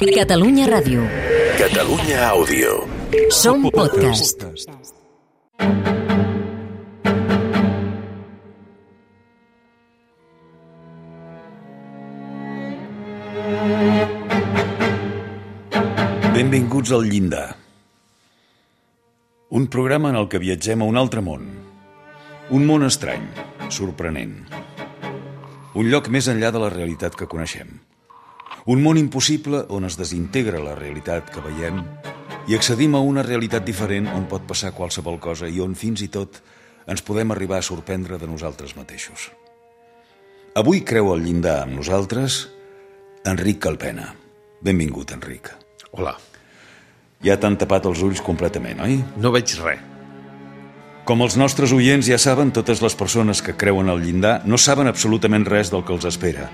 Catalunya Ràdio. Catalunya Àudio. Som podcast. Benvinguts al Llindar. Un programa en el que viatgem a un altre món. Un món estrany, sorprenent. Un lloc més enllà de la realitat que coneixem. Un món impossible on es desintegra la realitat que veiem i accedim a una realitat diferent on pot passar qualsevol cosa i on fins i tot ens podem arribar a sorprendre de nosaltres mateixos. Avui creu al Llindar amb nosaltres Enric Calpena. Benvingut, Enric. Hola. Ja t'han tapat els ulls completament, oi? No veig res. Com els nostres oients ja saben, totes les persones que creuen al Llindar no saben absolutament res del que els espera.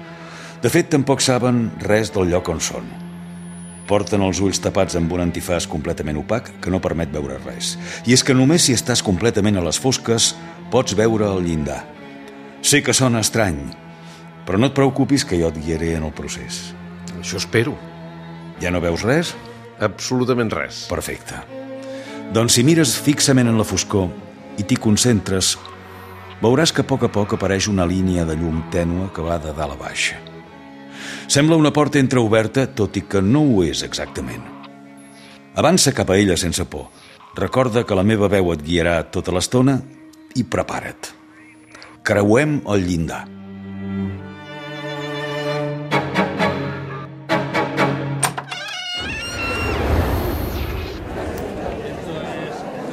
De fet, tampoc saben res del lloc on són. Porten els ulls tapats amb un antifàs completament opac que no permet veure res. I és que només si estàs completament a les fosques pots veure el Llindar. Sé que sona estrany, però no et preocupis que jo et guiaré en el procés. Això espero. Ja no veus res? Absolutament res. Perfecte. Doncs si mires fixament en la foscor i t'hi concentres, veuràs que a poc apareix una línia de llum tènue que va de dalt a baix. Sembla una porta entreoberta, tot i que no ho és exactament. Avança cap a ella sense por. Recorda que la meva veu et guiarà tota l'estona i prepara't. Creuem el Llindar.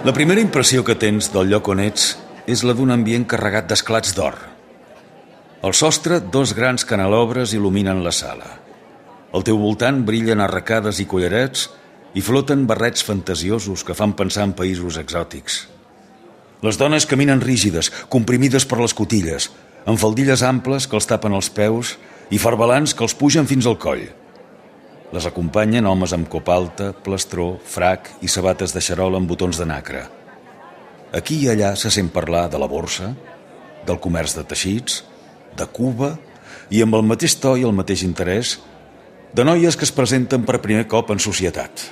La primera impressió que tens del lloc on ets és la d'un ambient carregat d'esclats d'or. Al sostre, dos grans canelobres il·luminen la sala. Al teu voltant brillen arracades i collarets i floten barrets fantasiosos que fan pensar en països exòtics. Les dones caminen rígides, comprimides per les cotilles, amb faldilles amples que els tapen els peus i farbalans que els pugen fins al coll. Les acompanyen homes amb copa alta, plastró, frac i sabates de xarol amb botons de nacre. Aquí i allà se sent parlar de la borsa, del comerç de teixits, de Cuba i amb el mateix to i el mateix interès de noies que es presenten per primer cop en societat.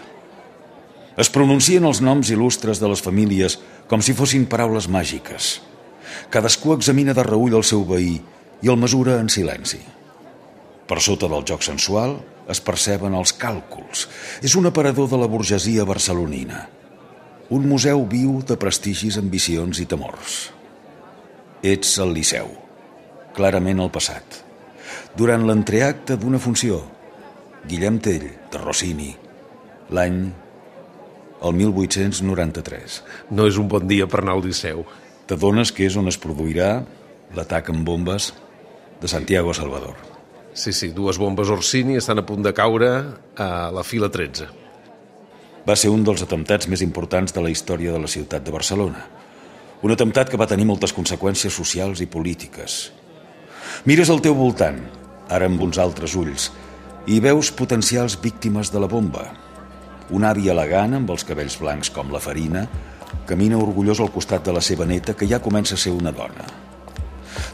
Es pronuncien els noms il·lustres de les famílies com si fossin paraules màgiques. Cadascú examina de reüll el seu veí i el mesura en silenci. Per sota del joc sensual es perceben els càlculs. És un aparador de la burgesia barcelonina. Un museu viu de prestigis, ambicions i temors. Ets al Liceu, clarament al passat. Durant l'entreacte d'una funció, Guillem Tell, de Rossini, l'any el 1893. No és un bon dia per anar al Liceu. T'adones que és on es produirà l'atac amb bombes de Santiago Salvador. Sí, dues bombes Orsini estan a punt de caure a la fila 13. Va ser un dels atemptats més importants de la història de la ciutat de Barcelona. Un atemptat que va tenir moltes conseqüències socials i polítiques. Mires al teu voltant, ara amb uns altres ulls, i veus potencials víctimes de la bomba. Un avi elegant, amb els cabells blancs com la farina, camina orgullós al costat de la seva neta, que ja comença a ser una dona.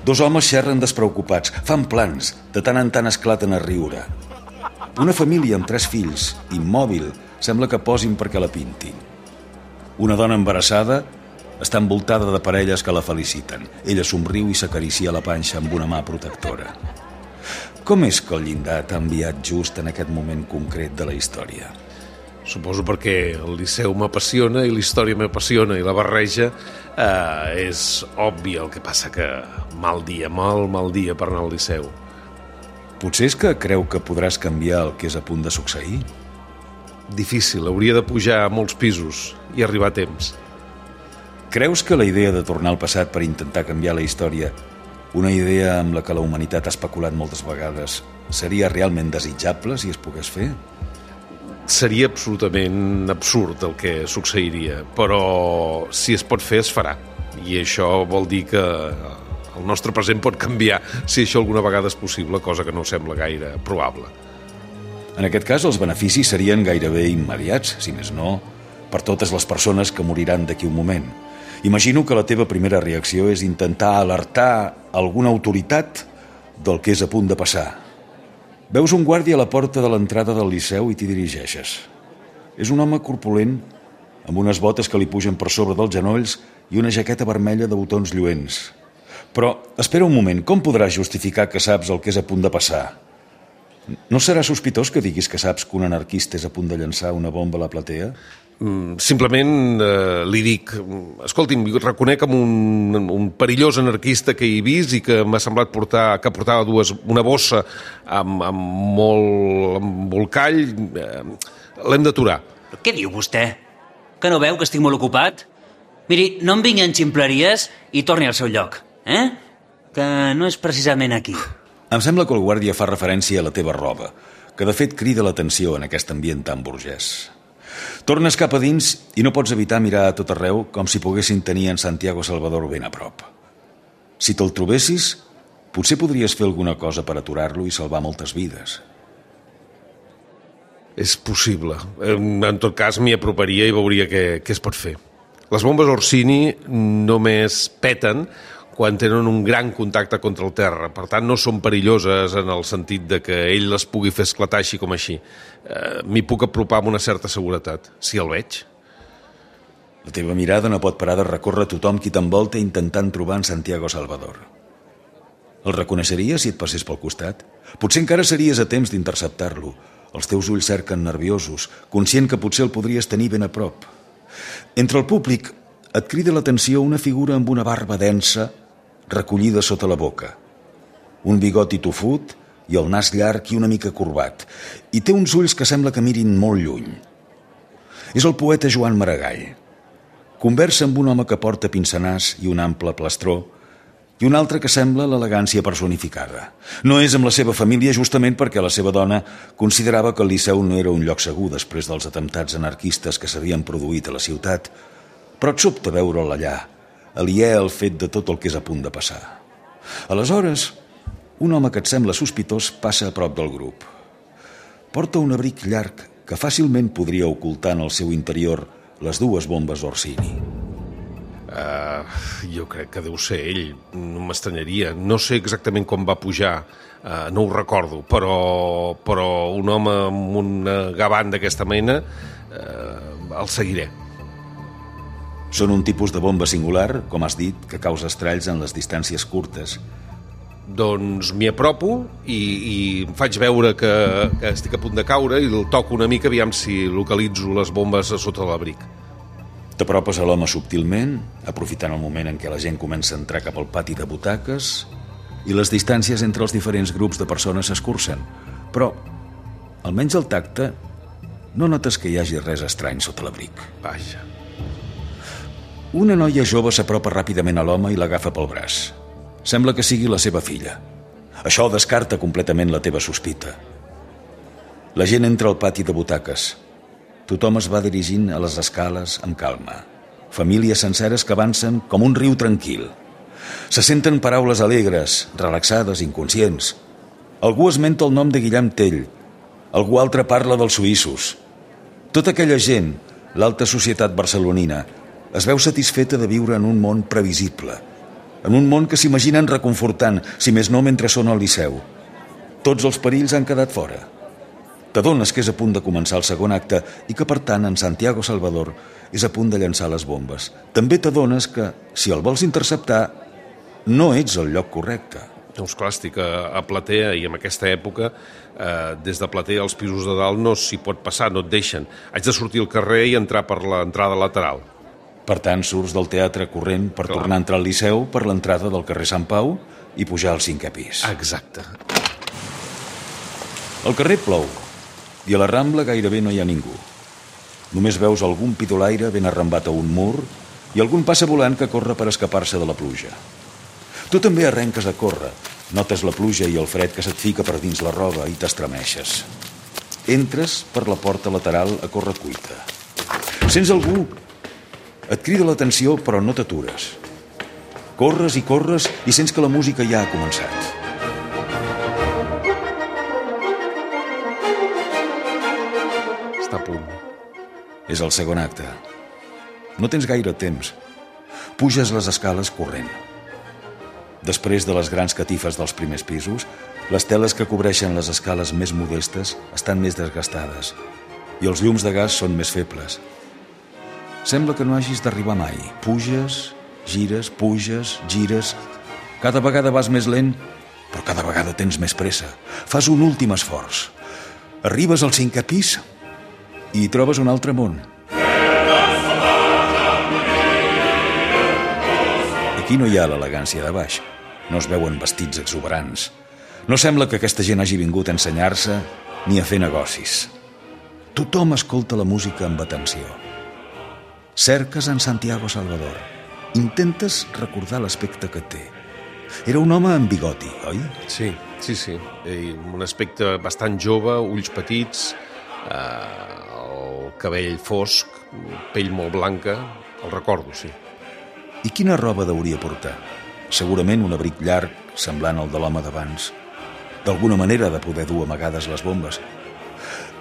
Dos homes xerren despreocupats, fan plans, de tant en tant esclaten a riure. Una família amb 3 fills, immòbil, sembla que posin perquè la pintin. Una dona embarassada està envoltada de parelles que la feliciten. Ella somriu i s'acaricia la panxa amb una mà protectora. Com és que el Llindar t'ha enviat just en aquest moment concret de la història? Suposo perquè el Liceu m'apassiona i la història m'apassiona i la barreja és obvi. El que passa que mal dia per anar al Liceu. Potser és que creu que podràs canviar el que és a punt de succeir? Difícil, hauria de pujar a molts pisos i arribar a temps. Creus que la idea de tornar al passat per intentar canviar la història, una idea amb la que la humanitat ha especulat moltes vegades, seria realment desitjable si es pogués fer? Seria absolutament absurd el que succeiria, però si es pot fer, es farà. I això vol dir que el nostre present pot canviar si això alguna vegada és possible, cosa que no sembla gaire probable. En aquest cas, els beneficis serien gairebé immediats, si més no, per totes les persones que moriran d'aquí un moment. Imagino que la teva primera reacció és intentar alertar alguna autoritat del que és a punt de passar. Veus un guàrdia a la porta de l'entrada del Liceu i t'hi dirigeixes. És un home corpulent, amb unes botes que li pugen per sobre dels genolls i una jaqueta vermella de botons lluents. Però, espera un moment, com podràs justificar que saps el que és a punt de passar? No serà sospitós que diguis que saps que un anarquista és a punt de llançar una bomba a la platea? Simplement li dic, escolti'm, reconec amb un perillós anarquista que he vist i que m'ha semblat que portava una bossa amb molt embolcall. L'hem d'aturar. Què diu vostè? Que no veu que estic molt ocupat? Miri, no em vingui en ximpleries i torni al seu lloc, Que no és precisament aquí. Em sembla que el guàrdia fa referència a la teva roba, que de fet crida l'atenció en aquest ambient tan burgès. Tornes cap a dins i no pots evitar mirar a tot arreu com si poguessin tenir en Santiago Salvador ben a prop. Si te'l trobessis, potser podries fer alguna cosa per aturar-lo i salvar moltes vides. És possible. En tot cas, m'hi aproparia i veuria què es pot fer. Les bombes Orsini només peten quan tenen un gran contacte contra el terra. Per tant, no són perilloses en el sentit de que ell les pugui fer esclatar així com així. M'hi puc apropar amb una certa seguretat, si el veig. La teva mirada no pot parar de recórrer tothom qui t'envolta intentant trobar en Santiago Salvador. El reconeixeries si et passés pel costat? Potser encara series a temps d'interceptar-lo. Els teus ulls cerquen nerviosos, conscient que potser el podries tenir ben a prop. Entre el públic et crida l'atenció una figura amb una barba densa recollida sota la boca, un bigoti tofut i el nas llarg i una mica corbat, i té uns ulls que sembla que mirin molt lluny. És el poeta Joan Maragall. Conversa amb un home que porta pince-nas i un ample plastró i un altre que sembla l'elegància personificada. No és amb la seva família justament perquè la seva dona considerava que el Liceu no era un lloc segur després dels atemptats anarquistes que s'havien produït a la ciutat, però et sobta veure'l allà, aliè al fet de tot el que és a punt de passar. Aleshores, un home que et sembla sospitós passa a prop del grup. Porta un abric llarg que fàcilment podria ocultar en el seu interior les dues bombes Orsini. Jo crec que deu ser ell, no m'estranyaria. No sé exactament com va pujar, no ho recordo, però un home amb una gavant d'aquesta mena el seguiré. Són un tipus de bomba singular, com has dit, que causa estralls en les distàncies curtes. Doncs m'hi apropo i em faig veure que estic a punt de caure i el toco una mica aviam si localitzo les bombes a sota l'abric. T'apropes a l'home subtilment, aprofitant el moment en què la gent comença a entrar cap al pati de butaques i les distàncies entre els diferents grups de persones s'escurcen. Però, almenys al tacte, no notes que hi hagi res estrany sota l'abric. Vaja. Una noia jove s'apropa ràpidament a l'home i l'agafa pel braç. Sembla que sigui la seva filla. Això descarta completament la teva sospita. La gent entra al pati de butaques. Tothom es va dirigint a les escales amb calma. Famílies senceres que avancen com un riu tranquil. Se senten paraules alegres, relaxades, inconscients. Algú esmenta el nom de Guillem Tell. Algú altre parla dels suïssos. Tota aquella gent, l'alta societat barcelonina, es veu satisfeta de viure en un món previsible, en un món que s'imaginen reconfortant, si més no mentre són al Liceu. Tots els perills han quedat fora. T'adones que és a punt de començar el segon acte i que, per tant, en Santiago Salvador és a punt de llançar les bombes. També t'adones que, si el vols interceptar, no ets al lloc correcte. Doncs clar, estic a platea i en aquesta època, des de platea als pisos de dalt no s'hi pot passar, no et deixen. Haig de sortir al carrer i entrar per l'entrada lateral. Per tant, surts del teatre corrent per tornar a entrar al Liceu per l'entrada del carrer Sant Pau i pujar al 5è pis. Exacte. Al carrer plou i a la Rambla gairebé no hi ha ningú. Només veus algun pidolaire ben arrambat a un mur i algun passa volant que corre per escapar-se de la pluja. Tu també arrenques a córrer. Notes la pluja i el fred que se't fica per dins la roba i t'estremeixes. Entres per la porta lateral a correcuita. Sents algú. Et crida l'atenció, però no t'atures. Corres i sents que la música ja ha començat. Està a punt. És el segon acte. No tens gaire temps. Puges les escales corrent. Després de les grans catifes dels primers pisos, les teles que cobreixen les escales més modestes estan més desgastades i els llums de gas són més febles. Sembla que no hagis d'arribar mai. Puges, gires, gires. Cada vegada vas més lent, però cada vegada tens més pressa. Fas un últim esforç. Arribes al 5è pis i hi trobes un altre món. Aquí no hi ha l'elegància de baix. No es veuen vestits exuberants. No sembla que aquesta gent hagi vingut a ensenyar-se ni a fer negocis. Tothom escolta la música amb atenció. Cerques en Santiago Salvador. Intentes recordar l'aspecte que té. Era un home amb bigoti, oi? Sí. Un aspecte bastant jove, ulls petits, el cabell fosc, pell molt blanca. El recordo, sí. I quina roba hauria portar? Segurament un abric llarg, semblant al de l'home d'abans. D'alguna manera de poder dur amagades les bombes.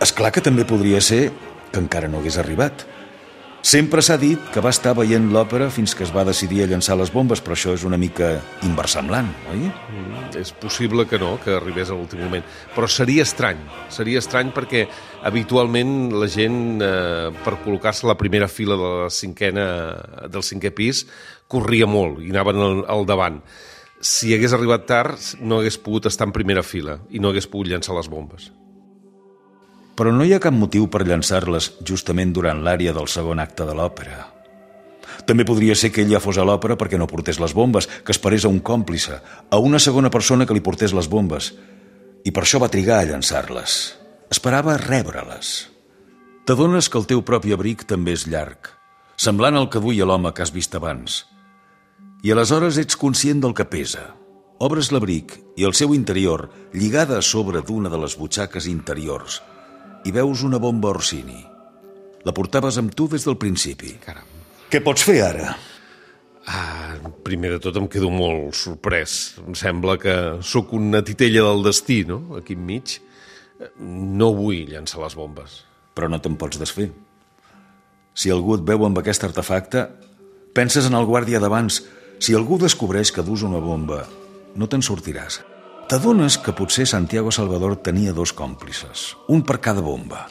És clar que també podria ser que encara no hagués arribat. Sempre s'ha dit que va estar veient l'òpera fins que es va decidir a llançar les bombes, però això és una mica inversemblant, oi? És possible que no, que arribés a l'últim moment. Però seria estrany perquè habitualment la gent, per col·locar-se a la primera fila del 5è pis, corria molt i anaven al davant. Si hagués arribat tard, no hagués pogut estar en primera fila i no hagués pogut llançar les bombes. Però no hi ha cap motiu per llançar-les justament durant l'ària del segon acte de l'òpera. També podria ser que ell ja fos a l'òpera perquè no portés les bombes, que esperés a un còmplice, a una segona persona que li portés les bombes, i per això va trigar a llançar-les. Esperava rebre-les. T'adones que el teu propi abric també és llarg, semblant al que duia l'home que has vist abans. I aleshores ets conscient del que pesa. Obres l'abric i el seu interior, lligada a sobre d'una de les butxaques interiors, i veus una bomba Orsini. La portaves amb tu des del principi. Caram. Què pots fer ara? Primer de tot em quedo molt sorprès. Em sembla que sóc una titella del destí, no?, aquí enmig. No vull llançar les bombes. Però no te'n pots desfer. Si algú et veu amb aquest artefacte, penses en el guàrdia d'abans. Si algú descobreix que dus una bomba, no te'n sortiràs. T'adones que potser Santiago Salvador tenia 2 còmplices, un per cada bomba.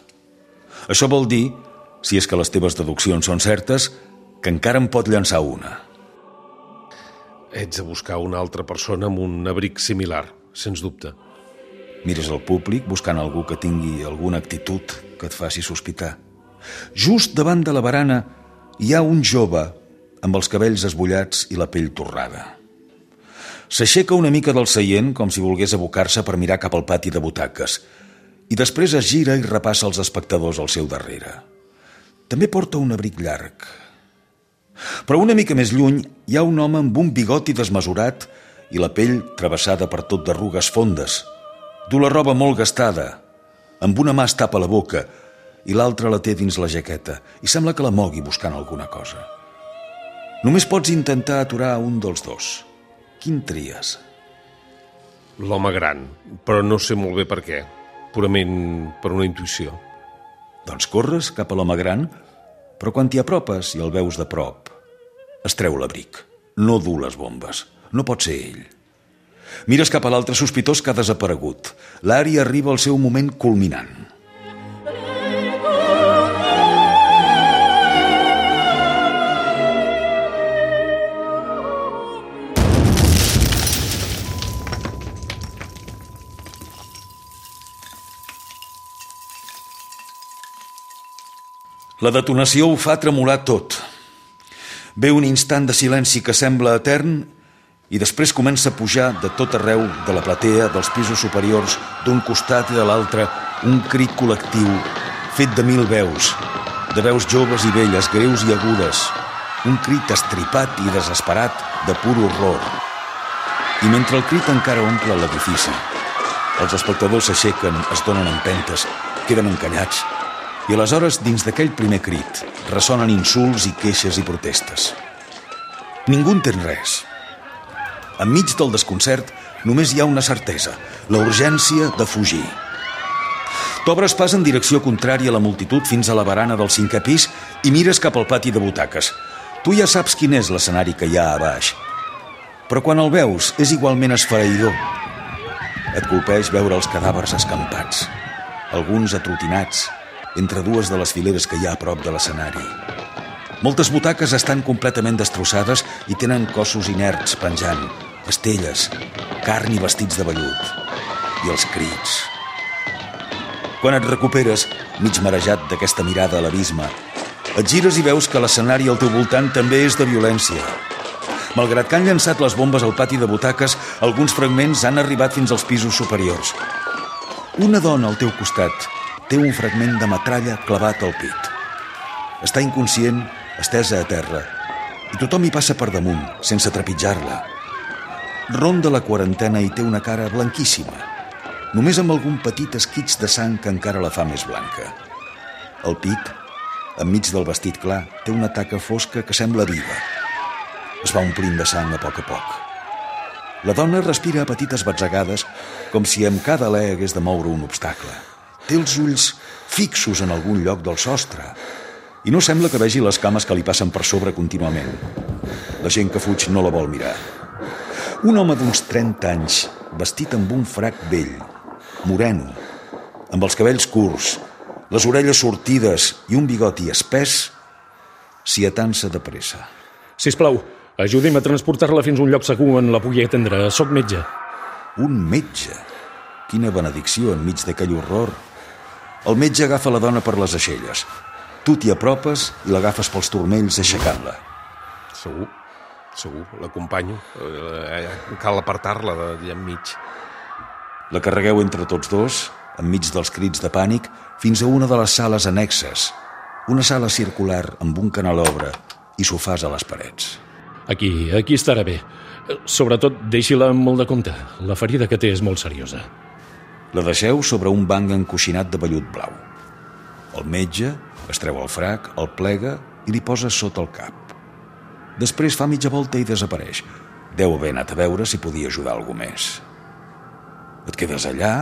Això vol dir, si és que les teves deduccions són certes, que encara en pot llançar una. Ets de buscar una altra persona amb un abric similar, sens dubte. Mires al públic buscant algú que tingui alguna actitud que et faci sospitar. Just davant de la barana hi ha un jove amb els cabells esbullats i la pell torrada. S'aixeca una mica del seient com si volgués abocar-se per mirar cap al pati de butaques i després es gira i repassa els espectadors al seu darrere. També porta un abric llarg. Però una mica més lluny hi ha un home amb un bigoti desmesurat i la pell travessada per tot d'arrugues fondes. Du la roba molt gastada. Amb una mà es tapa la boca i l'altra la té dins la jaqueta i sembla que la mogui buscant alguna cosa. Només pots intentar aturar un dels dos. Quin tries? L'home gran, però no sé molt bé per què. Purament per una intuïció. Doncs corres cap a l'home gran, però quan t'hi apropes i el veus de prop, es treu l'abric. No du les bombes. No pot ser ell. Mires cap a l'altre sospitós que ha desaparegut. L'ària arriba al seu moment culminant. La detonació ho fa tremolar tot. Ve un instant de silenci que sembla etern i després comença a pujar de tot arreu de la platea, dels pisos superiors, d'un costat i de l'altre, un crit col·lectiu fet de 1000 veus, de veus joves i velles, greus i agudes, un crit estripat i desesperat de pur horror. I mentre el crit encara omple l'edifici, els espectadors s'aixequen, es donen empentes, queden encallats. I aleshores, dins d'aquell primer crit, ressonen insults i queixes i protestes. Ningú entén res. Enmig del desconcert, només hi ha una certesa, la urgència de fugir. T'obres pas en direcció contrària a la multitud fins a la barana del 5è pis i mires cap al pati de butaques. Tu ja saps quin és l'escenari que hi ha a baix. però quan el veus és igualment esfereïdor. Et colpeix veure els cadàvers escampats, alguns atrotinats, entre dues de les fileres que hi ha a prop de l'escenari. Moltes butaques estan completament destrossades i tenen cossos inerts penjant, estelles, carn i vestits de vellut. I els crits. Quan et recuperes, mig marejat d'aquesta mirada a l'abisme, et gires i veus que l'escenari al teu voltant també és de violència. Malgrat que han llançat les bombes al pati de butaques, alguns fragments han arribat fins als pisos superiors. Una dona al teu costat té un fragment de metralla clavat al pit. Està inconscient, estesa a terra, i tothom hi passa per damunt, sense trepitjar-la. Ronda la quarantena i té una cara blanquíssima, només amb algun petit esquitx de sang que encara la fa més blanca. El pit, enmig del vestit clar, té una taca fosca que sembla viva. Es va omplint de sang a poc. La dona respira a petites batzegades, com si amb cada alè hagués de moure un obstacle. Té els ulls fixos en algun lloc del sostre i no sembla que vegi les cames que li passen per sobre contínuament. La gent que fuig no la vol mirar. Un home d'uns 30 anys, vestit amb un frac vell, moreno, amb els cabells curts, les orelles sortides i un bigoti espès, s'hi atansa de pressa. Sisplau, ajudi'm a transportar-la fins a un lloc segur on la pugui atendre. Soc metge. Un metge? Quina benedicció enmig d'aquell horror. El metge agafa la dona per les aixelles. Tu t'hi apropes i l'agafes pels turmells aixecant-la. Segur, l'acompanyo. Cal apartar-la d'allà enmig. La carregueu entre tots dos, enmig dels crits de pànic, fins a una de les sales annexes. Una sala circular amb un canelobre i sofàs a les parets. Aquí estarà bé. Sobretot, deixi-la amb molt de compte. La ferida que té és molt seriosa. La deixeu sobre un banc encoixinat de vellut blau. El metge es treu el frac, el plega i li posa sota el cap. Després fa mitja volta i desapareix. Deu haver anat a veure si podia ajudar algú més. Et quedes allà,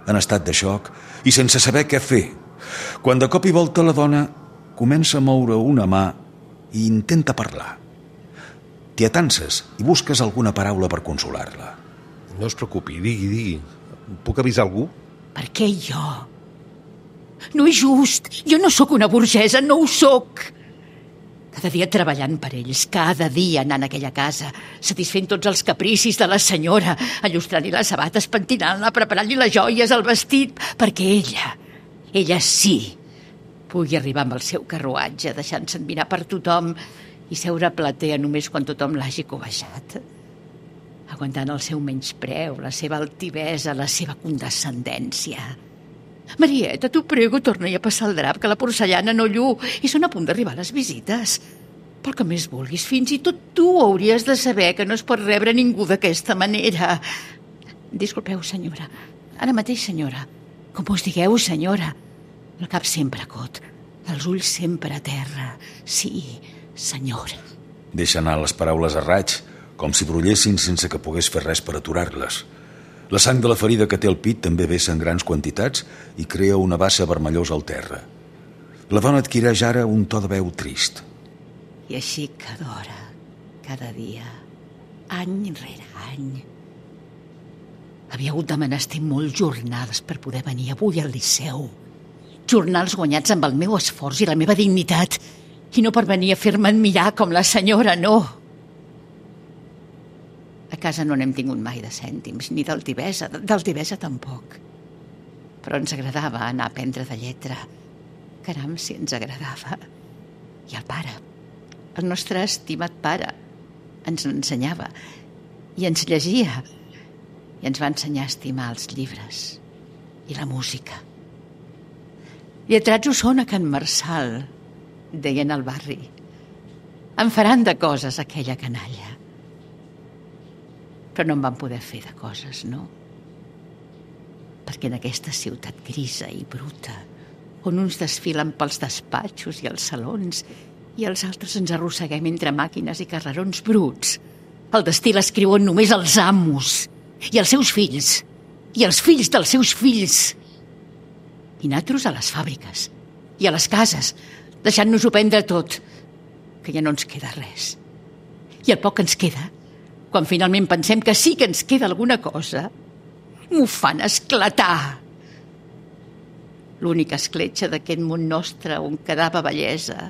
en estat de xoc, i sense saber què fer, quan de cop i volta la dona comença a moure una mà i intenta parlar. T'hi atances i busques alguna paraula per consolar-la. No es preocupi, digui. Puc avisar algú? Per què jo? No és just. Jo no sóc una burgesa, no ho sóc. Cada dia treballant per ells, cada dia anant a aquella casa, satisfent tots els capricis de la senyora, allustrant-li les sabates, pentinant-la, preparant-li les joies, el vestit, perquè ella sí, pugui arribar amb el seu carruatge, deixant-se admirar per tothom i seure a platea només quan tothom l'hagi cobejat, aguantant el seu menyspreu, la seva altivesa, la seva condescendència. Marieta, t'ho prego, torna-hi a passar el drap, que la porcellana no lluu i són a punt d'arribar les visites. Pel que més vulguis, fins i tot tu hauries de saber que no es pot rebre ningú d'aquesta manera. Disculpeu, senyora. Ara mateix, senyora. Com us digueu, senyora. El cap sempre cot, els ulls sempre a terra. Sí, senyora. Deixa anar les paraules a raig, com si brollessin sense que pogués fer res per aturar-les. La sang de la ferida que té al pit també vessa en grans quantitats i crea una bassa vermellosa al terra. La dona adquireix ara un to de veu trist. I així cada hora, cada dia, any rere any. Havia hagut de menester molts jornals per poder venir avui al Liceu. Jornals guanyats amb el meu esforç i la meva dignitat. I no per venir a fer-me admirar com la senyora, no. A casa no n'hem tingut mai de cèntims, ni d'altivesa tampoc. Però ens agradava anar a aprendre de lletra. Caram, si ens agradava. I el pare, el nostre estimat pare, ens ensenyava i ens llegia i ens va ensenyar a estimar els llibres i la música. Lletrats ho són a Can Marçal, deien al barri. En faran de coses aquella canalla. Però no en van poder fer de coses, no? Perquè en aquesta ciutat grisa i bruta, on uns desfilen pels despatxos i els salons i els altres ens arrosseguem entre màquines i carrerons bruts, el destí l'escriuen només els amos i els seus fills i els fills dels seus fills. I nosaltres a les fàbriques i a les cases, deixant-nos-ho prendre tot, que ja no ens queda res. I el poc que ens queda Quan finalment pensem que sí que ens queda alguna cosa, m'ho fan esclatar. L'única escletxa d'aquest món nostre on quedava bellesa,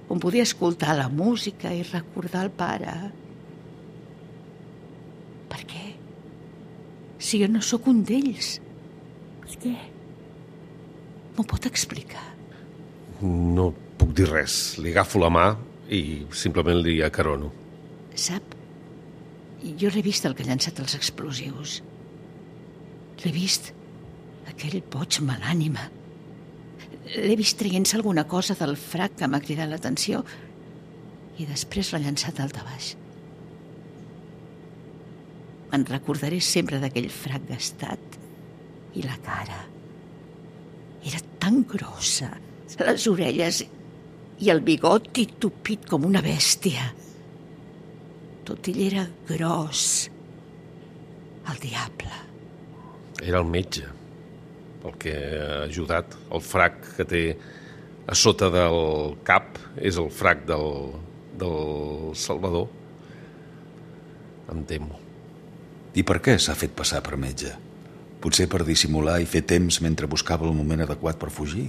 on podia escoltar la música i recordar el pare. Per què? Si jo no sóc un d'ells. Per què? M'ho pot explicar? No puc dir res. Li agafo la mà i simplement li acarono. Sap? Jo l'he vist el que ha llançat els explosius. L'he vist, aquell boig malànima. L'he vist traient-se alguna cosa del frac que m'ha cridat l'atenció i després l'ha llançat al baix. Me'n recordaré sempre d'aquell frac gastat i la cara. Era tan grossa, les orelles i el bigoti tupit com una bèstia. Tot ell era gros. El diable. Era el metge, el que ha ajudat. El frac que té a sota del cap és el frac del Salvador. Em temo. I per què s'ha fet passar per metge? Potser per dissimular i fer temps mentre buscava el moment adequat per fugir.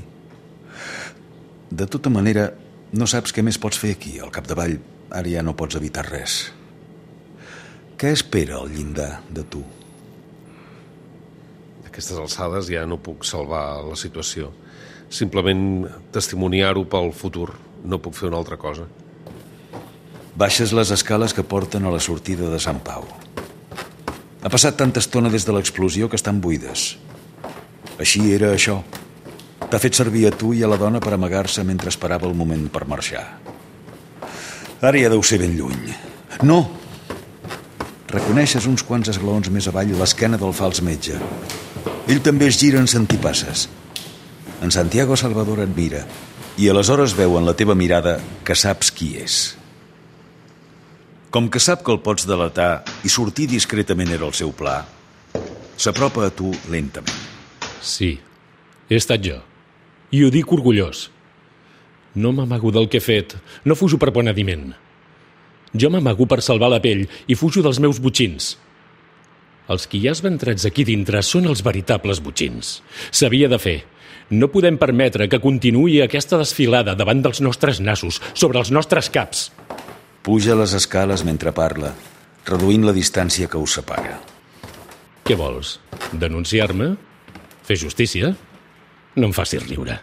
De tota manera, no saps què més pots fer aquí. Al capdavall, ara ja no pots evitar res. Què espera al llindar de tu? A aquestes alçades ja no puc salvar la situació. Simplement testimoniar-ho pel futur. No puc fer una altra cosa. Baixes les escales que porten a la sortida de Sant Pau. Ha passat tanta estona des de l'explosió que estan buides. Així era això. T'ha fet servir a tu i a la dona per amagar-se mentre esperava el moment per marxar. Ara ja deu ser ben lluny. No! Reconeixes uns quants esglaons més avall l'esquena del fals metge. Ell també es gira en sentipasses. En Santiago Salvador et mira i aleshores veu en la teva mirada que saps qui és. Com que sap que el pots delatar i sortir discretament era el seu pla, s'apropa a tu lentament. Sí, he estat jo. I ho dic orgullós. No m'amago del que he fet, no fujo per penediment. Jo m'amago per salvar la pell i fujo dels meus botxins. Els que hi has ventrats aquí dintre són els veritables botxins. S'havia de fer. No podem permetre que continuï aquesta desfilada davant dels nostres nassos, sobre els nostres caps. Puja les escales mentre parla, reduint la distància que us separa. Què vols? Denunciar-me? Fer justícia? No em facis riure.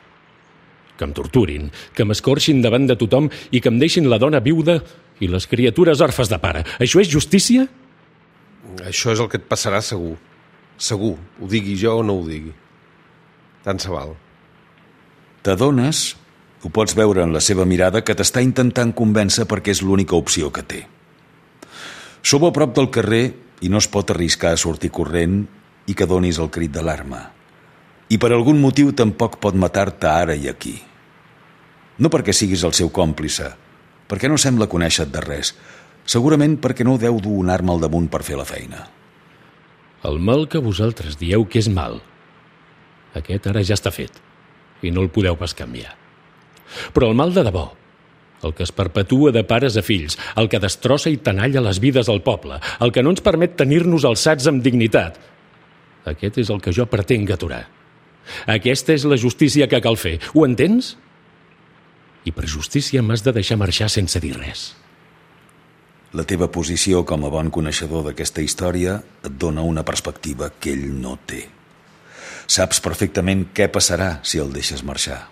Que em torturin, que m'escorxin davant de tothom i que em deixin la dona viuda i les criatures orfes de pare. Això és justícia? Això és el que et passarà segur. Segur, ho digui jo o no ho digui. Tant se val. T'adones, ho pots veure en la seva mirada, que t'està intentant convèncer perquè és l'única opció que té. Sou a prop del carrer i no es pot arriscar a sortir corrent i que donis el crit d'alarma. I per algun motiu tampoc pot matar-te ara i aquí. No perquè siguis el seu còmplice, perquè no sembla conèixer-te de res, segurament perquè no deu dur una arma al damunt per fer la feina. El mal que vosaltres dieu que és mal, aquest ara ja està fet i no el podeu pas canviar. Però el mal de debò, el que es perpetua de pares a fills, el que destrossa i tenalla les vides al poble, el que no ens permet tenir-nos alçats amb dignitat, aquest és el que jo pretenc aturar. Aquesta és la justícia que cal fer, ho entens? I per justícia m'has de deixar marxar sense dir res. La teva posició com a bon coneixedor d'aquesta història et dona una perspectiva que ell no té. Saps perfectament què passarà si el deixes marxar.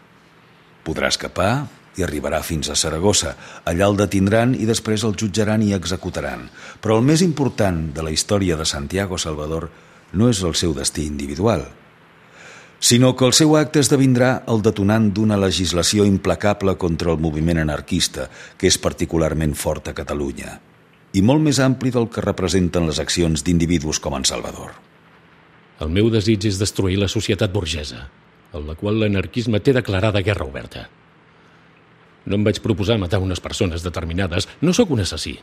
Podrà escapar i arribarà fins a Saragossa. Allà el detindran i després el jutjaran i executaran. Però el més important de la història de Santiago Salvador no és el seu destí individual, sinó que el seu acte esdevindrà el detonant d'una legislació implacable contra el moviment anarquista, que és particularment fort a Catalunya, i molt més ampli del que representen les accions d'individus com en Salvador. El meu desig és destruir la societat burgesa, en la qual l'anarquisme té declarada guerra oberta. No em vaig proposar matar unes persones determinades, no sóc un assassí.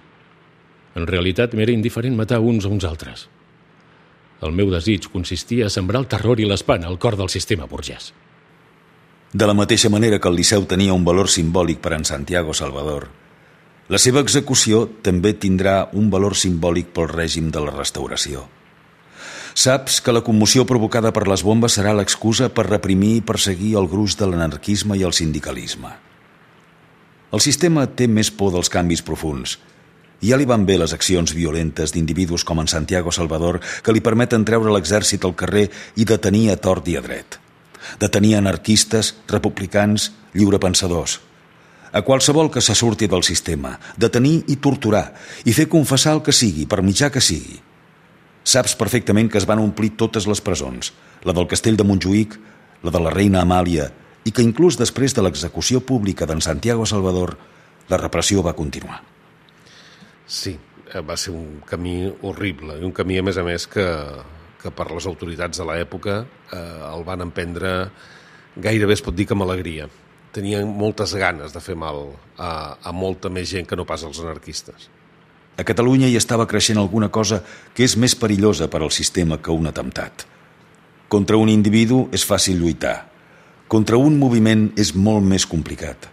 En realitat m'era indiferent matar uns a uns altres. El meu desig consistia a sembrar el terror i l'espant al cor del sistema burgès. De la mateixa manera que el Liceu tenia un valor simbòlic per en Santiago Salvador, La seva execució també tindrà un valor simbòlic pel règim de la restauració. Saps que la commoció provocada per les bombes serà l'excusa per reprimir i perseguir el gruix de l'anarquisme i el sindicalisme. El sistema té més por dels canvis profunds. I ja li van bé les accions violentes d'individus com en Santiago Salvador, que li permeten treure l'exèrcit al carrer i detenir a tort i a dret. Detenir anarquistes, republicans, lliurepensadors. A qualsevol que se surti del sistema, detenir i torturar, i fer confessar el que sigui, per mitjà que sigui. Saps perfectament que es van omplir totes les presons, la del castell de Montjuïc, la de la reina Amàlia, i que inclús després de l'execució pública d'en Santiago Salvador, la repressió va continuar. Sí, va ser un camí horrible, i un camí, a més, que per les autoritats de l'època el van emprendre gairebé, es pot dir, que amb alegria. Tenien moltes ganes de fer mal a molta més gent que no pas als anarquistes. A Catalunya hi estava creixent alguna cosa que és més perillosa per al sistema que un atemptat. Contra un individu és fàcil lluitar. Contra un moviment és molt més complicat.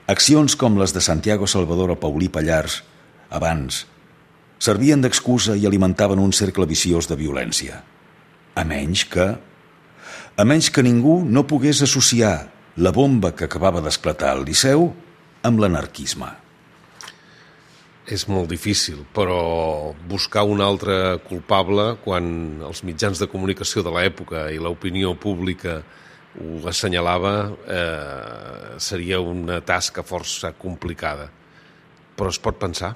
Accions com les de Santiago Salvador o Paulí Pallars, abans, servien d'excusa i alimentaven un cercle viciós de violència. A menys que ningú no pogués associar la bomba que acabava d'esclatar al Liceu amb l'anarquisme. És molt difícil, però buscar un altre culpable quan els mitjans de comunicació de l'època i l'opinió pública ho assenyalava seria una tasca força complicada. Però es pot pensar.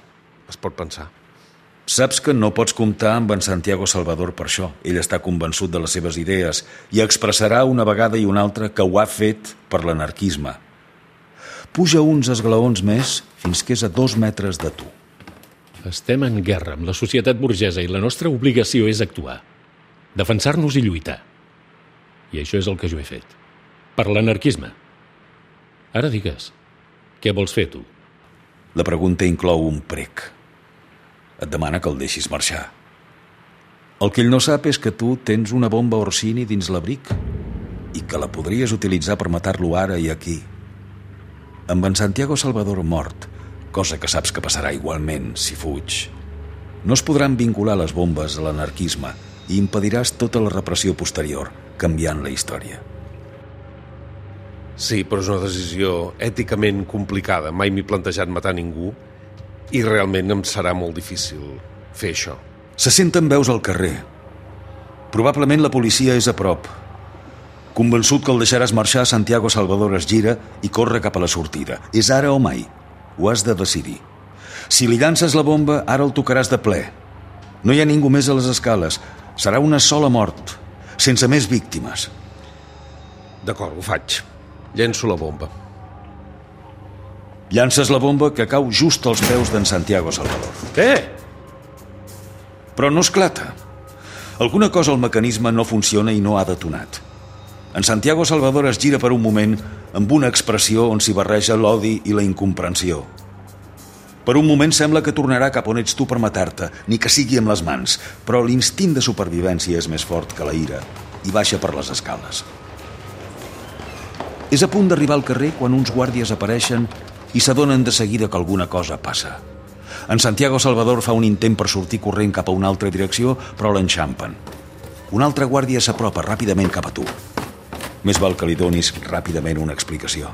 Saps que no pots comptar amb en Santiago Salvador per això. Ell està convençut de les seves idees i expressarà una vegada i una altra que ho ha fet per l'anarquisme. Puja uns esglaons més fins que és a 2 metres de tu. Estem en guerra amb la societat burgesa i la nostra obligació és actuar, defensar-nos i lluitar. I això és el que jo he fet. Per l'anarquisme. Ara digues, què vols fer tu? La pregunta inclou un prec. Et demana que el deixis marxar. El que ell no sap és que tu tens una bomba Orsini dins l'abric i que la podries utilitzar per matar-lo ara i aquí. Amb en Santiago Salvador mort, cosa que saps que passarà igualment si fuig, no es podran vincular les bombes a l'anarquisme i impediràs tota la repressió posterior, canviant la història. Sí, però és una decisió èticament complicada. Mai m'he plantejat matar ningú i realment em serà molt difícil fer això. Se senten veus al carrer. Probablement la policia és a prop. Convençut que el deixaràs marxar, Santiago Salvador es gira i corre cap a la sortida. És ara o mai. Ho has de decidir. Si li llances la bomba, ara el tocaràs de ple. No hi ha ningú més a les escales. Serà una sola mort, sense més víctimes. D'acord, ho faig. Llenço la bomba. Llances la bomba que cau just als peus d'en Santiago Salvador. Però no esclata. Alguna cosa al mecanisme no funciona i no ha detonat. En Santiago Salvador es gira per un moment amb una expressió on s'hi barreja l'odi i la incomprensió. Per un moment sembla que tornarà cap on ets tu per matar-te, ni que sigui amb les mans, però l'instint de supervivència és més fort que la ira i baixa per les escales. És a punt d'arribar al carrer quan uns guàrdies apareixen i s'adonen de seguida que alguna cosa passa. En Santiago Salvador fa un intent per sortir corrent cap a una altra direcció, però l'enxampen. Un altre guàrdia s'apropa ràpidament cap a tu. Més val que li donis ràpidament una explicació.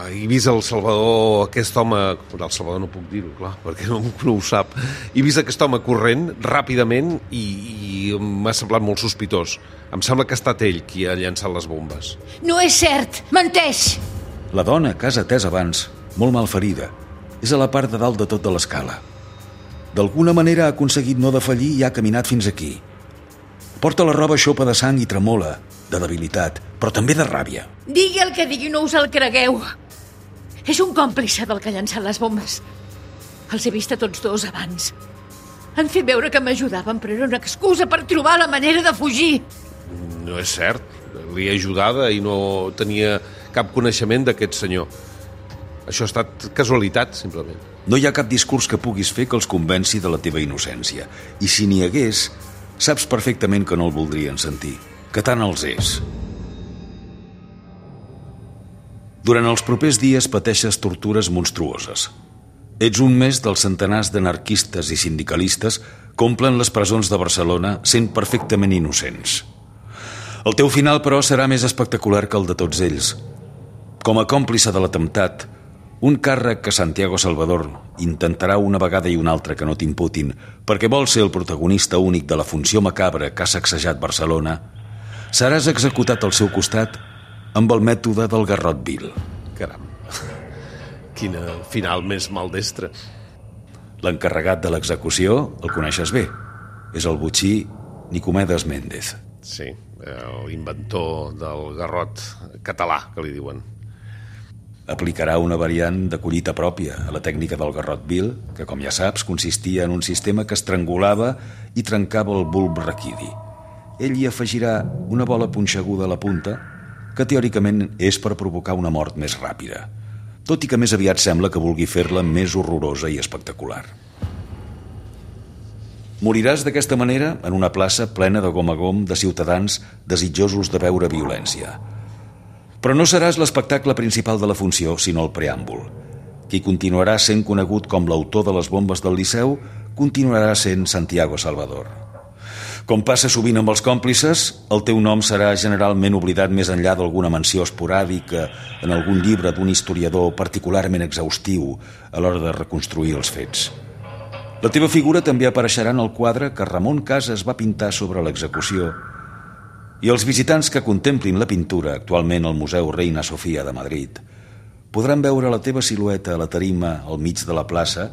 He vist el Salvador, aquest home... El Salvador no puc dir-ho, clar, perquè no ho sap. He vist aquest home corrent ràpidament i m'ha semblat molt sospitós. Em sembla que ha estat ell qui ha llançat les bombes. No és cert! Menteix! La dona, que has atès abans, molt malferida, és a la part de dalt de tot de l'escala. D'alguna manera ha aconseguit no defallir i ha caminat fins aquí. Porta la roba xopa de sang i tremola, de debilitat, però també de ràbia. Digui el que digui, no us el cregueu. És un còmplice del que ha llançat les bombes. Els he vist a tots dos abans. Han fet veure que m'ajudaven, però era una excusa per trobar la manera de fugir. No és cert. Li he ajudada i no tenia cap coneixement d'aquest senyor. Això ha estat casualitat, simplement. No hi ha cap discurs que puguis fer que els convenci de la teva innocència. I si n'hi hagués, saps perfectament que no el voldrien sentir, que tant els és. Durant els propers dies pateixes tortures monstruoses. Ets un més dels centenars d'anarquistes i sindicalistes que omplen les presons de Barcelona sent perfectament innocents. El teu final, però, serà més espectacular que el de tots ells. Com a còmplice de l'atemptat, un càrrec que Santiago Salvador intentarà una vegada i una altra que no t'imputin perquè vol ser el protagonista únic de la funció macabra que ha sacsejat Barcelona, seràs executat al seu costat amb el mètode del garrot vil. Caram, quin final més maldestre. L'encarregat de l'execució el coneixes bé. És el botxí Nicomedes Méndez. Sí, l'inventor del garrot català, que li diuen. Aplicarà una variant de collita pròpia a la tècnica del garrot vil, que, com ja saps, consistia en un sistema que estrangulava i trencava el bulb raquidi. Ell hi afegirà una bola punxeguda a la punta, que teòricament és per provocar una mort més ràpida, tot i que més aviat sembla que vulgui fer-la més horrorosa i espectacular. Moriràs d'aquesta manera en una plaça plena de gom a gom de ciutadans desitjosos de veure violència. Però no seràs l'espectacle principal de la funció, sinó el preàmbul. Qui continuarà sent conegut com l'autor de les bombes del Liceu continuarà sent Santiago Salvador. Com passa sovint amb els còmplices, el teu nom serà generalment oblidat més enllà d'alguna menció esporàdica en algun llibre d'un historiador particularment exhaustiu a l'hora de reconstruir els fets. La teva figura també apareixerà en el quadre que Ramon Casas va pintar sobre l'execució, i els visitants que contemplin la pintura, actualment al Museu Reina Sofia de Madrid, podran veure la teva silueta a la tarima al mig de la plaça,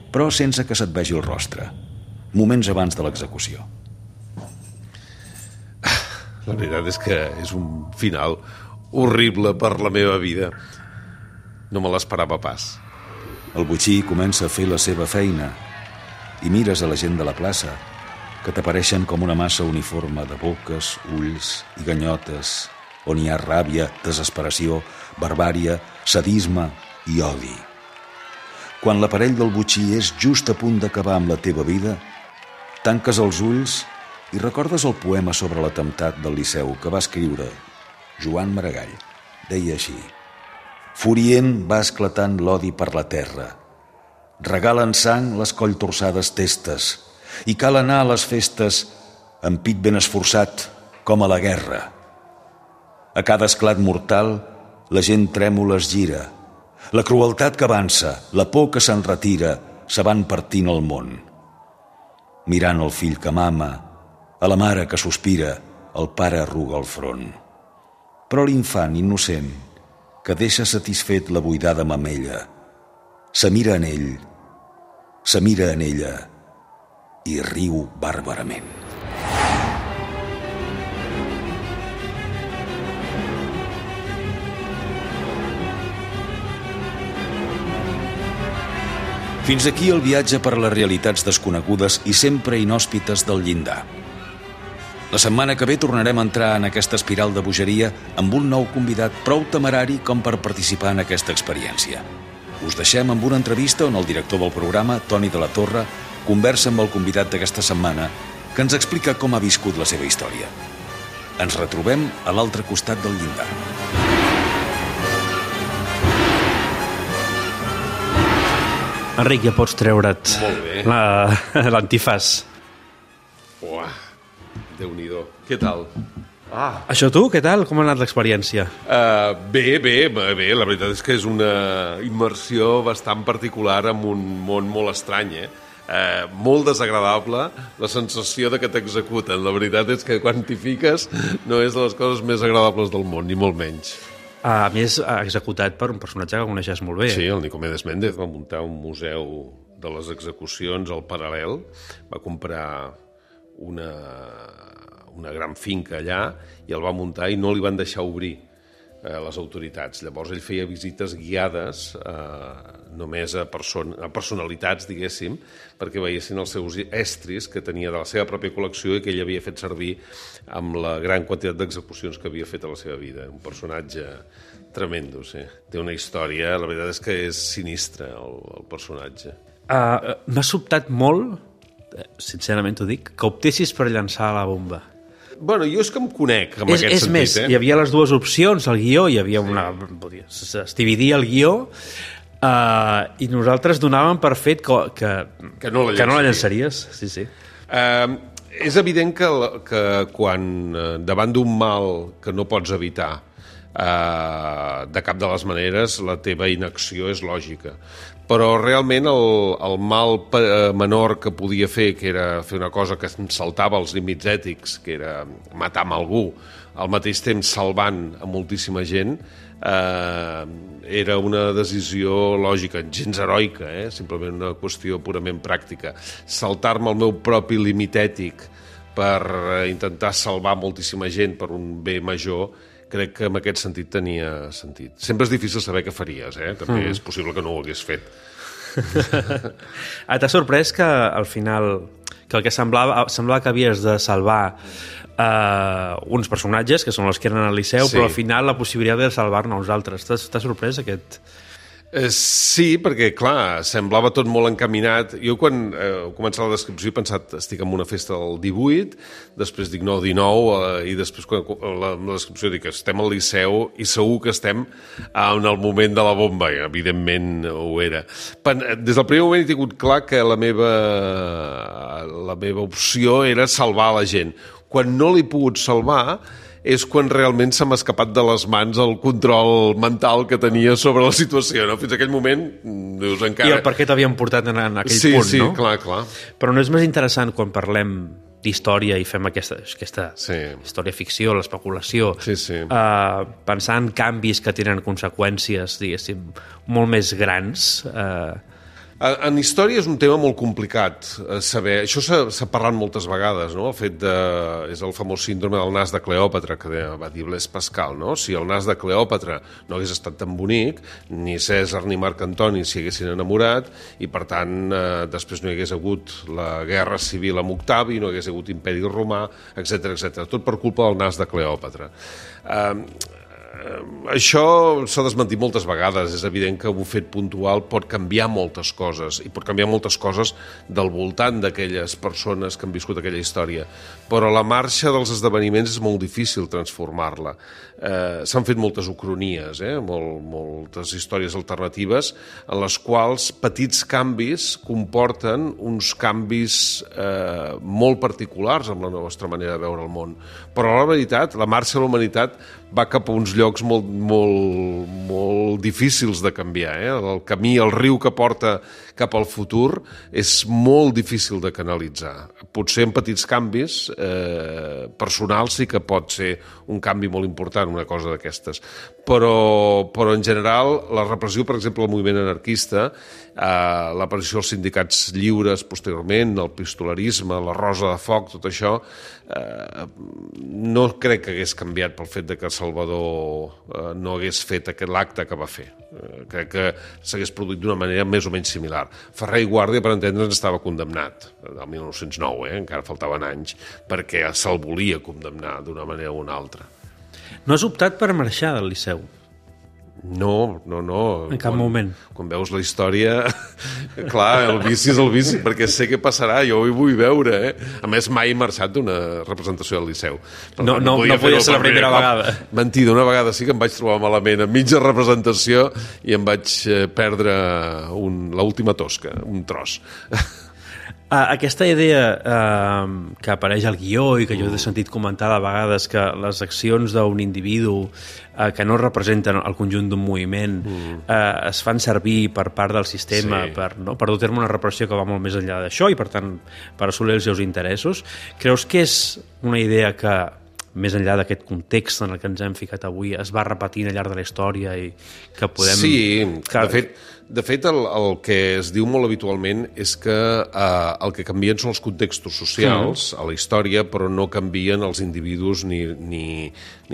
però sense que se't vegi el rostre, moments abans de l'execució. La veritat és que és un final horrible per la meva vida. No me l'esperava pas. El botxí comença a fer la seva feina i mires a la gent de la plaça, que t'apareixen com una massa uniforme de boques, ulls i ganyotes, on hi ha ràbia, desesperació, barbària, sadisme i odi. Quan l'aparell del botxí és just a punt d'acabar amb la teva vida, tanques els ulls i recordes el poema sobre l'atemptat del Liceu que va escriure Joan Maragall. Deia així: furient va esclatant l'odi per la terra, regalen sang les colltorçades testes, i cal anar a les festes amb pit ben esforçat, com a la guerra. A cada esclat mortal, la gent trèmola es gira. La crueltat que avança, la por que se'n retira, se van partint el món. Mirant el fill que mama, a la mare que sospira, el pare arruga el front. Però l'infant innocent, que deixa satisfet la buidada mamella, se mira en ell, se mira en ella, i riu bàrbarament. Fins aquí el viatge per les realitats desconegudes i sempre inhòspites del llindar. La setmana que ve tornarem a entrar en aquesta espiral de bogeria amb un nou convidat prou temerari com per participar en aquesta experiència. Us deixem amb una entrevista on el director del programa, Toni de la Torre, conversa amb el convidat d'aquesta setmana que ens explica com ha viscut la seva història. Ens retrobem a l'altre costat del llindar. Enric, ja pots treure't l'antifàs. Uah, Déu-n'hi-do. Què tal? Això tu, què tal? Com ha anat l'experiència? Bé. La veritat és que és una immersió bastant particular en un món molt estrany, molt desagradable, la sensació de que t'executen. La veritat és que quan t'hi fiques no és de les coses més agradables del món, ni molt menys. A més, executat per un personatge que coneixes molt bé. Sí, el Nicomedes Méndez va muntar un museu de les execucions al Paral·lel, va comprar una gran finca allà i el va muntar i no li van deixar obrir les autoritats. Llavors ell feia visites guiades només a personalitats, diguéssim, perquè veiessin els seus estris que tenia de la seva pròpia col·lecció i que ell havia fet servir amb la gran quantitat d'execucions que havia fet a la seva vida. Un personatge tremendo, sí. Té una història, la veritat és que és sinistre el personatge. M'ha sobtat molt, sincerament t'ho dic, que optessis per llançar la bomba. Bueno, jo és que em conec amb aquest sentit. Més, hi havia les dues opcions, el guió, hi havia una... Es dividia el guió i nosaltres donàvem per fet que no la llançaries. Sí, sí. És evident que quan davant d'un mal que no pots evitar de cap de les maneres, la teva inacció és lògica. Però realment el mal menor que podia fer, que era fer una cosa que em saltava els límits ètics, que era matar amb algú, al mateix temps salvant a moltíssima gent, era una decisió lògica, gens heroica, simplement una qüestió purament pràctica. Saltar-me el meu propi límit ètic per intentar salvar moltíssima gent per un bé major, crec que en aquest sentit tenia sentit. Sempre és difícil saber què faries, també és possible que no ho hagués fet. T'ha sorprès que al final que el que semblava que havies de salvar uns personatges, que són els que eren al Liceu, sí. Però al final la possibilitat de salvar-ne uns altres. T'ha sorprès aquest... Sí, perquè, clar, semblava tot molt encaminat. Jo, quan he començat la descripció, he pensat, estic en una festa del 18, després dic, no, 19, i després, quan la descripció, dic, estem al Liceu i segur que estem en el moment de la bomba, i evidentment ho era. Des del primer moment he tingut clar que la meva opció era salvar la gent. Quan no l'he pogut salvar és quan realment se m'ha escapat de les mans el control mental que tenia sobre la situació. No? Fins a aquell moment, dius, encara... I el per què t'havien portat en aquell punt, sí, no? Sí, clar. Però no és més interessant quan parlem d'història i fem aquesta història-ficció, l'especulació, pensar en canvis que tenen conseqüències, diguéssim, molt més grans... En història és un tema molt complicat saber. Això s'ha parlat moltes vegades, no? El fet és el famós síndrome del nas de Cleòpatra, que va dir Blaise Pascal, no? Si el nas de Cleòpatra no hagués estat tan bonic, ni Cèsar ni Marc Antoni s'hi haguessin enamorat, i per tant després no hi hagués hagut la guerra civil amb Octavi, no hi hagués hagut imperi romà, etc. Tot per culpa del nas de Cleòpatra. Això s'ha desmentit moltes vegades. És evident que un fet puntual pot canviar moltes coses, i pot canviar moltes coses del voltant d'aquelles persones que han viscut aquella història, però la marxa dels esdeveniments és molt difícil transformar-la. S'han fet moltes ucronies, moltes històries alternatives en les quals petits canvis comporten uns canvis molt particulars amb la nostra manera de veure el món. Però la veritat, la marxa de la humanitat va cap a uns llocs molt difícils de canviar. El camí, el riu que porta cap al futur és molt difícil de canalitzar. Potser en petits canvis personals sí que pot ser un canvi molt important, una cosa d'aquestes. Però en general la repressió, per exemple, del moviment anarquista, l'aparició dels sindicats lliures posteriorment, el pistolarisme, la Rosa de Foc, tot això, no crec que hagués canviat pel fet de que Salvador no hagués fet l'acte que va fer. Crec que s'hagués produït d'una manera més o menys similar. Ferrer i Guàrdia, per entendre'ns, estava condemnat el 1909, encara faltaven anys, perquè se'l volia condemnar d'una manera o una altra. No has optat per marxar del Liceu? No. En cap moment. Quan veus la història, clar, el vici és el vici, perquè sé què passarà, jo ho vull veure. A més, mai he marxat d'una representació del Liceu. No podia ser la primera vegada. Mentida, una vegada sí que em vaig trobar malament a mitja representació i em vaig perdre l'última tosca, un tros. Aquesta idea que apareix al guió i que jo he sentit comentar a vegades, que les accions d'un individu que no representen el conjunt d'un moviment es fan servir per part del sistema per dur a terme una repressió que va molt més enllà d'això i per tant per assolir els seus interessos. Creus que és una idea que més enllà d'aquest context en el que ens hem ficat avui, es va repetint al llarg de la història i que podem... Sí, de fet el que es diu molt habitualment és que el que canvien són els contextos socials a la història, però no canvien els individus ni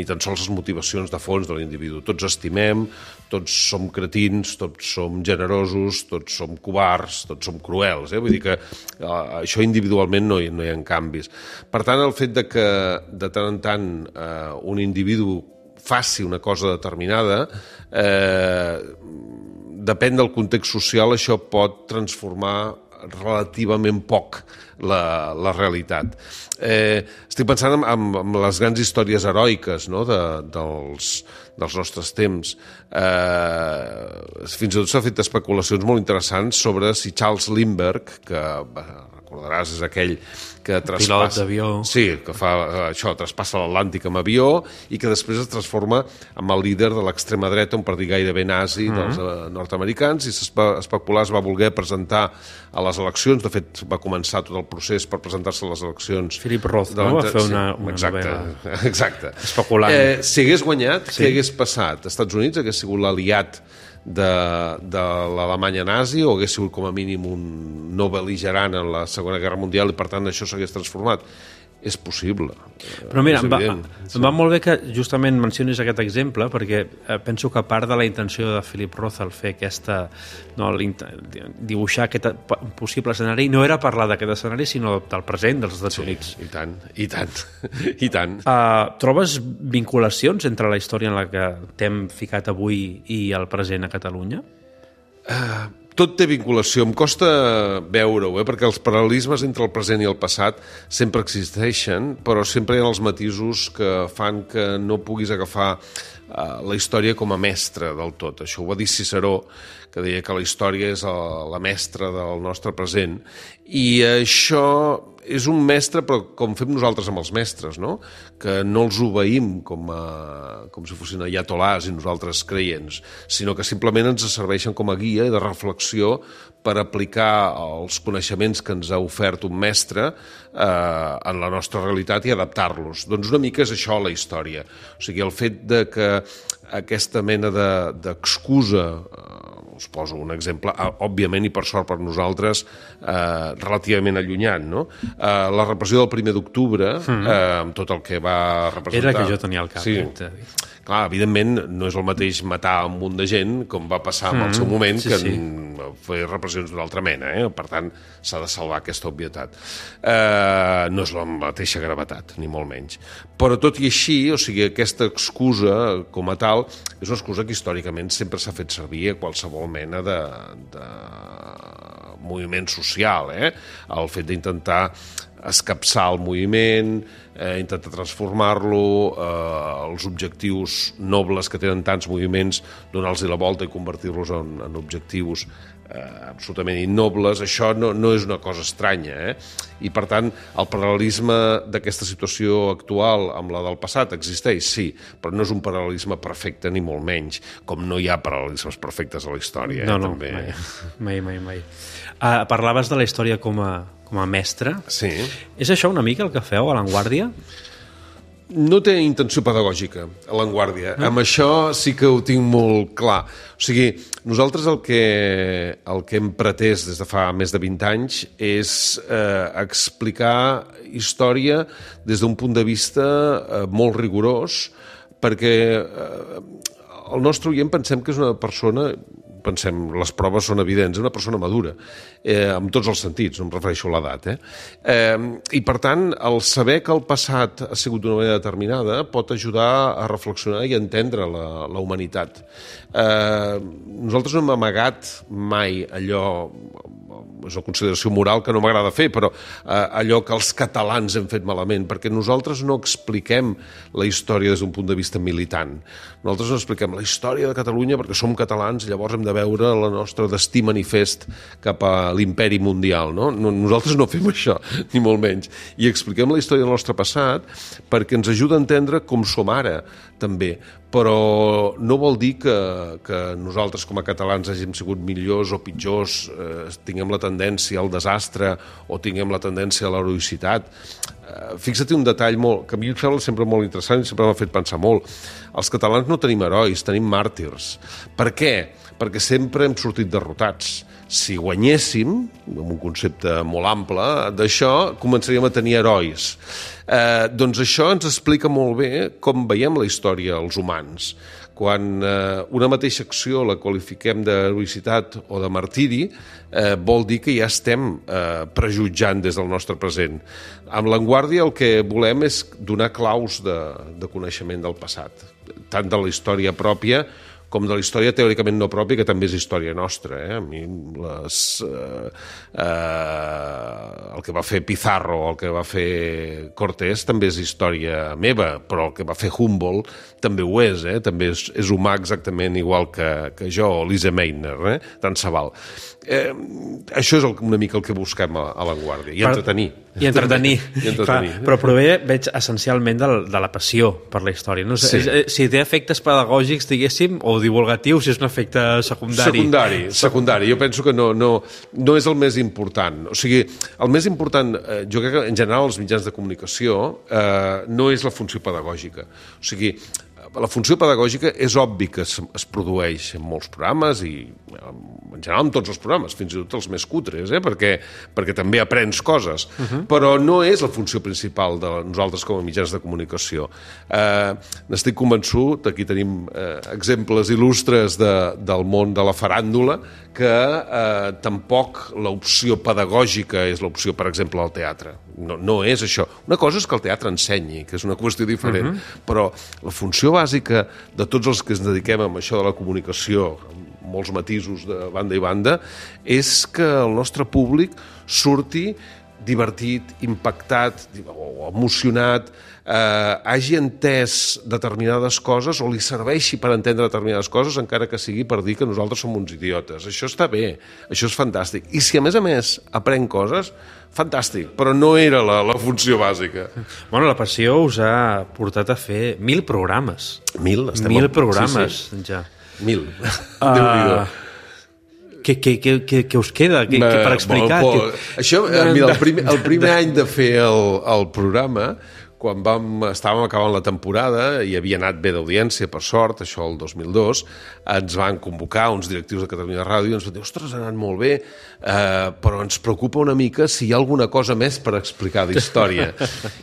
tan sols les motivacions de fons de l'individu. Tots estimem, tots som cretins, tots som generosos, tots som covards, tots som cruels. Vull dir que això individualment no hi ha canvis. Per tant, el fet de que de tant en tant un individu faci una cosa determinada, depèn del context social, això pot transformar relativament poc la realitat. Estic pensant en les grans històries heroiques, no?, dels nostres temps. Fins i tot s'ha fet especulacions molt interessants sobre si Charles Lindbergh, que recordaràs és aquell que pilot d'avió. Sí, que fa això, traspassa l'Atlàntic amb avió i que després es transforma en el líder de l'extrema dreta, un partit gairebé nazi dels nord-americans, i especular es va voler presentar a les eleccions. De fet, va començar tot el procés per presentar-se a les eleccions. Philip Roth, no? Va fer una novel·la. Exacte. Especulant. Si hagués guanyat, què hagués passat? Els Estats Units hagués sigut l'aliat de l'Alemanya nazi o hagués sigut com a mínim un no bel·ligerant en la Segona Guerra Mundial i per tant això s'hagués transformat? És possible. Però mira, em va molt bé que justament mencionis aquest exemple, perquè penso que part de la intenció de Philip Roth al fer aquesta, dibuixar aquest possible escenari no era parlar d'aquest escenari, sinó del present dels Estats Units. I tant. Trobes vinculacions entre la història en la que t'hem ficat avui i el present a Catalunya? Tot té vinculació, em costa veure-ho, perquè els paral·lelismes entre el present i el passat sempre existeixen, però sempre hi ha els matisos que fan que no puguis agafar la història com a mestra del tot. Això ho va dir Ciceró, que deia que la història és la mestra del nostre present, i això és un mestre, però com fem nosaltres amb els mestres, no? Que no els obeïm com si fossin ayatolars i nosaltres creients, sinó que simplement ens serveixen com a guia de reflexió per aplicar els coneixements que ens ha ofert un mestre en la nostra realitat i adaptar-los. Doncs una mica és això la història. O sigui, el fet de que aquesta mena d'excusa, us poso un exemple, òbviament i per sort per nosaltres, relativament allunyat, no? La repressió del 1 d'octubre, amb tot el que va representar... Era que jo tenia el cap. Sí. Clar, evidentment, no és el mateix matar un munt de gent com va passar en el seu moment, que fer repressions d'una altra mena. Per tant, s'ha de salvar aquesta obvietat. No és la mateixa gravetat, ni molt menys. Però tot i així, o sigui, aquesta excusa com a tal, és una excusa que històricament sempre s'ha fet servir a qualsevol mena de moviment social. El fet d'intentar escapçar el moviment, intentar transformar-lo, els objectius nobles que tenen tants moviments, donar-los la volta i convertir-los en objectius absolutament innobles. Això no és una cosa estranya. I, per tant, el paral·lelisme d'aquesta situació actual amb la del passat existeix, sí, però no és un paral·lelisme perfecte, ni molt menys, com no hi ha paral·lelismes perfectes a la història. No, mai. Parlaves de la història com a mestre. Sí. És això una mica el que feu a La Vanguardia? No té intenció pedagògica, a La Vanguardia. Amb això sí que ho tinc molt clar. O sigui, nosaltres el que hem pretès des de fa més de 20 anys és explicar història des d'un punt de vista molt rigorós, perquè el nostre oient pensem que és una persona... les proves són evidents, és una persona madura, en tots els sentits, no em refereixo a l'edat. I, per tant, el saber que el passat ha sigut d'una manera determinada pot ajudar a reflexionar i a entendre la humanitat. Nosaltres no hem amagat mai allò, és una consideració moral que no m'agrada fer, però allò que els catalans hem fet malament, perquè nosaltres no expliquem la història des d'un punt de vista militant. Nosaltres no expliquem la història de Catalunya perquè som catalans i llavors hem de veure el nostre destí manifest cap a l'imperi mundial. No? Nosaltres no fem això, ni molt menys. I expliquem la història del nostre passat perquè ens ajuda a entendre com som ara, també. Però no vol dir que nosaltres com a catalans hàgim sigut millors o pitjors, tinguem la tendència al desastre o tinguem la tendència a l'heroïcitat. Fixa't un detall que a mi em sembla sempre molt interessant i sempre m'ha fet pensar molt. Els catalans no tenim herois, tenim màrtirs. Per què? Perquè sempre hem sortit derrotats. Si guanyéssim, amb un concepte molt ample, d'això començaríem a tenir herois. Doncs això ens explica molt bé com veiem la història els humans. Quan una mateixa acció la qualifiquem d'heroïcitat o de martiri, vol dir que ja estem prejutjant des del nostre present. Amb La Vanguardia el que volem és donar claus de coneixement del passat, tant de la història pròpia com de la història teòricament no pròpia, que també és història nostra. A mi el que va fer Pizarro, el que va fer Cortés, també és història meva, però el que va fer Humboldt també ho és, també és humà exactament igual que jo, o Lise Meitner, tant se val. Això és una mica el que busquem a La Guàrdia, i entretenir. I entretenir. Però prové, veig, essencialment de la passió per la història. No sé, si té efectes pedagògics, diguéssim, o divulgatius, si és un efecte secundari. Secundari. Jo penso que no és el més important. O sigui, el més important, jo crec que en general els mitjans de comunicació no és la funció pedagògica. O sigui, la funció pedagògica és obvi que es produeix en molts programes i en general en tots els programes, fins i tot els més cutres, perquè també aprens coses, però no és la funció principal de nosaltres com a mitjans de comunicació. N'estic convençut, aquí tenim exemples il·lustres del món de la faràndula, que tampoc l'opció pedagògica és l'opció, per exemple, al teatre. No és això. Una cosa és que el teatre ensenyi, que és una qüestió diferent, però la funció bàsica de tots els que ens dediquem a això de la comunicació, amb molts matisos de banda i banda, és que el nostre públic surti divertit, impactat o emocionat, hagi entès determinades coses o li serveixi per entendre determinades coses, encara que sigui per dir que nosaltres som uns idiotes. Això està bé, això és fantàstic. I si a més aprèn coses, fantàstic, però no era la funció bàsica. Bueno, la passió us ha portat a fer 1.000 programes. 1.000 programes, ja. 1.000. Déu-n'hi-do. Què us queda per explicar? Això, mira, el primer any de fer el programa, quan estàvem acabant la temporada i havia anat bé d'audiència, per sort, això el 2002, ens van convocar uns directius de Catalunya Ràdio i ens van dir, ostres, ha anat molt bé, però ens preocupa una mica si hi ha alguna cosa més per explicar d'història.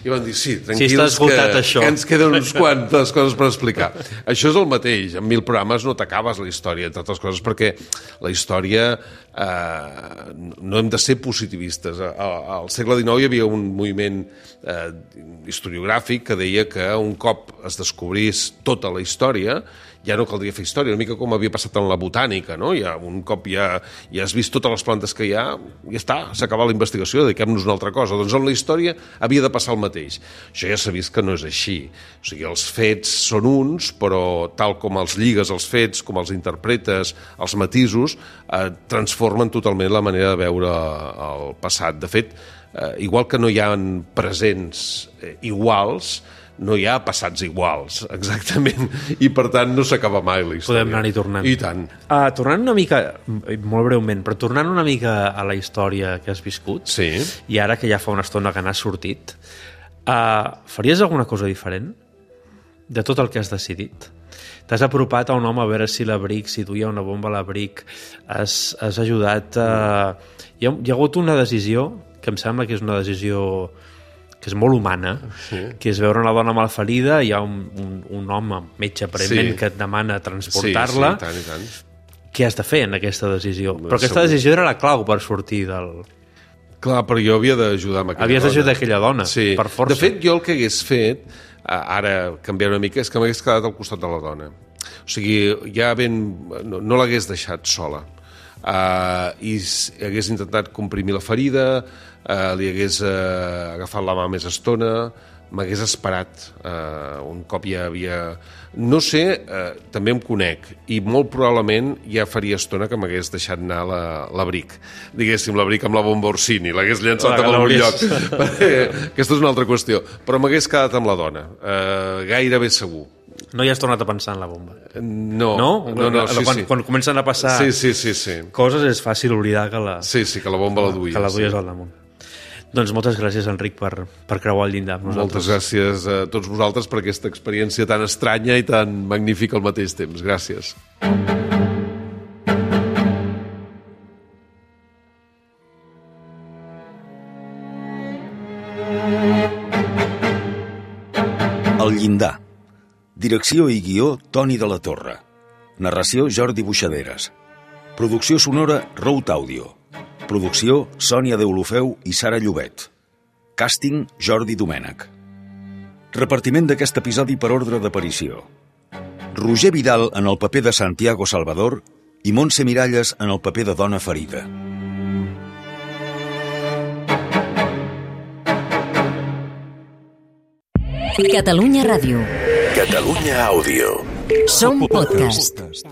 I van dir, sí, tranquils, que ens queden uns quantes coses per explicar. Això és el mateix, en 1.000 programes no t'acabes la història, entre altres coses, perquè la història no hem de ser positivistes. Al segle XIX hi havia un moviment historiogràfic que deia que un cop es descobrís tota la història ja no caldria fer història, una mica com havia passat en la botànica, no? Un cop ja has vist totes les plantes que hi ha, ja està, s'ha acabat la investigació, dediquem-nos a una altra cosa. Doncs en la història havia de passar el mateix. Això ja s'ha vist que no és així. O sigui, els fets són uns, però tal com els lligues els fets, com els interpretes, els matisos, transformen totalment la manera de veure el passat. De fet, igual que no hi ha presents iguals, no hi ha passats iguals, exactament, i per tant no s'acaba mai la història. Podem anar-hi tornant. I tant. Tornant una mica, molt breument, però tornant una mica a la història que has viscut, sí. I ara que ja fa una estona que n'has sortit, faries alguna cosa diferent de tot el que has decidit? T'has apropat a un home a veure si l'abric, si duia una bomba a l'abric, has ajudat a... Hi ha hagut una decisió que em sembla que és una decisió que és molt humana, sí. Que és veure una dona malferida, hi ha un home, metge aparentment, sí. Que et demana transportar-la. Sí, i tant. Què has de fer en aquesta decisió? Però aquesta decisió era la clau per sortir del... Clar, però jo havia d'ajudar amb aquella dona. Havies d'ajudar aquella dona, sí. Per força. De fet, jo el que hagués fet, ara canviar una mica, és que m'hagués quedat al costat de la dona. O sigui, ja no l'hagués deixat sola. I hagués intentat comprimir la ferida, li hagués agafat la mà més estona, m'hagués esperat un cop ja havia... No sé, també em conec, i molt probablement ja faria estona que m'hagués deixat anar l'abric. Diguéssim, l'abric amb la bomba Orsini, l'hagués llançat en algun lloc. Aquesta és una altra qüestió. Però m'hagués quedat amb la dona, gairebé segur. No hi has tornat a pensar en la bomba? No, sí. Quan comencen a passar coses és fàcil oblidar que la... Sí, que la bomba la duies. Que la duies al damunt. Doncs moltes gràcies, Enric, per creuar el llindar amb nosaltres. Moltes gràcies a tots vosaltres per aquesta experiència tan estranya i tan magnífica al mateix temps. Gràcies. El llindar. Direcció i guió, Toni de la Torre. Narració, Jordi Buixaderes. Producció sonora, Rout Audio. Producció, Sònia Deulofeu i Sara Llobet. Càsting, Jordi Domènech. Repartiment d'aquest episodi per ordre d'aparició. Roger Vidal en el paper de Santiago Salvador i Montse Miralles en el paper de dona ferida. Catalunya Ràdio. Catalunya Àudio. Som podcast.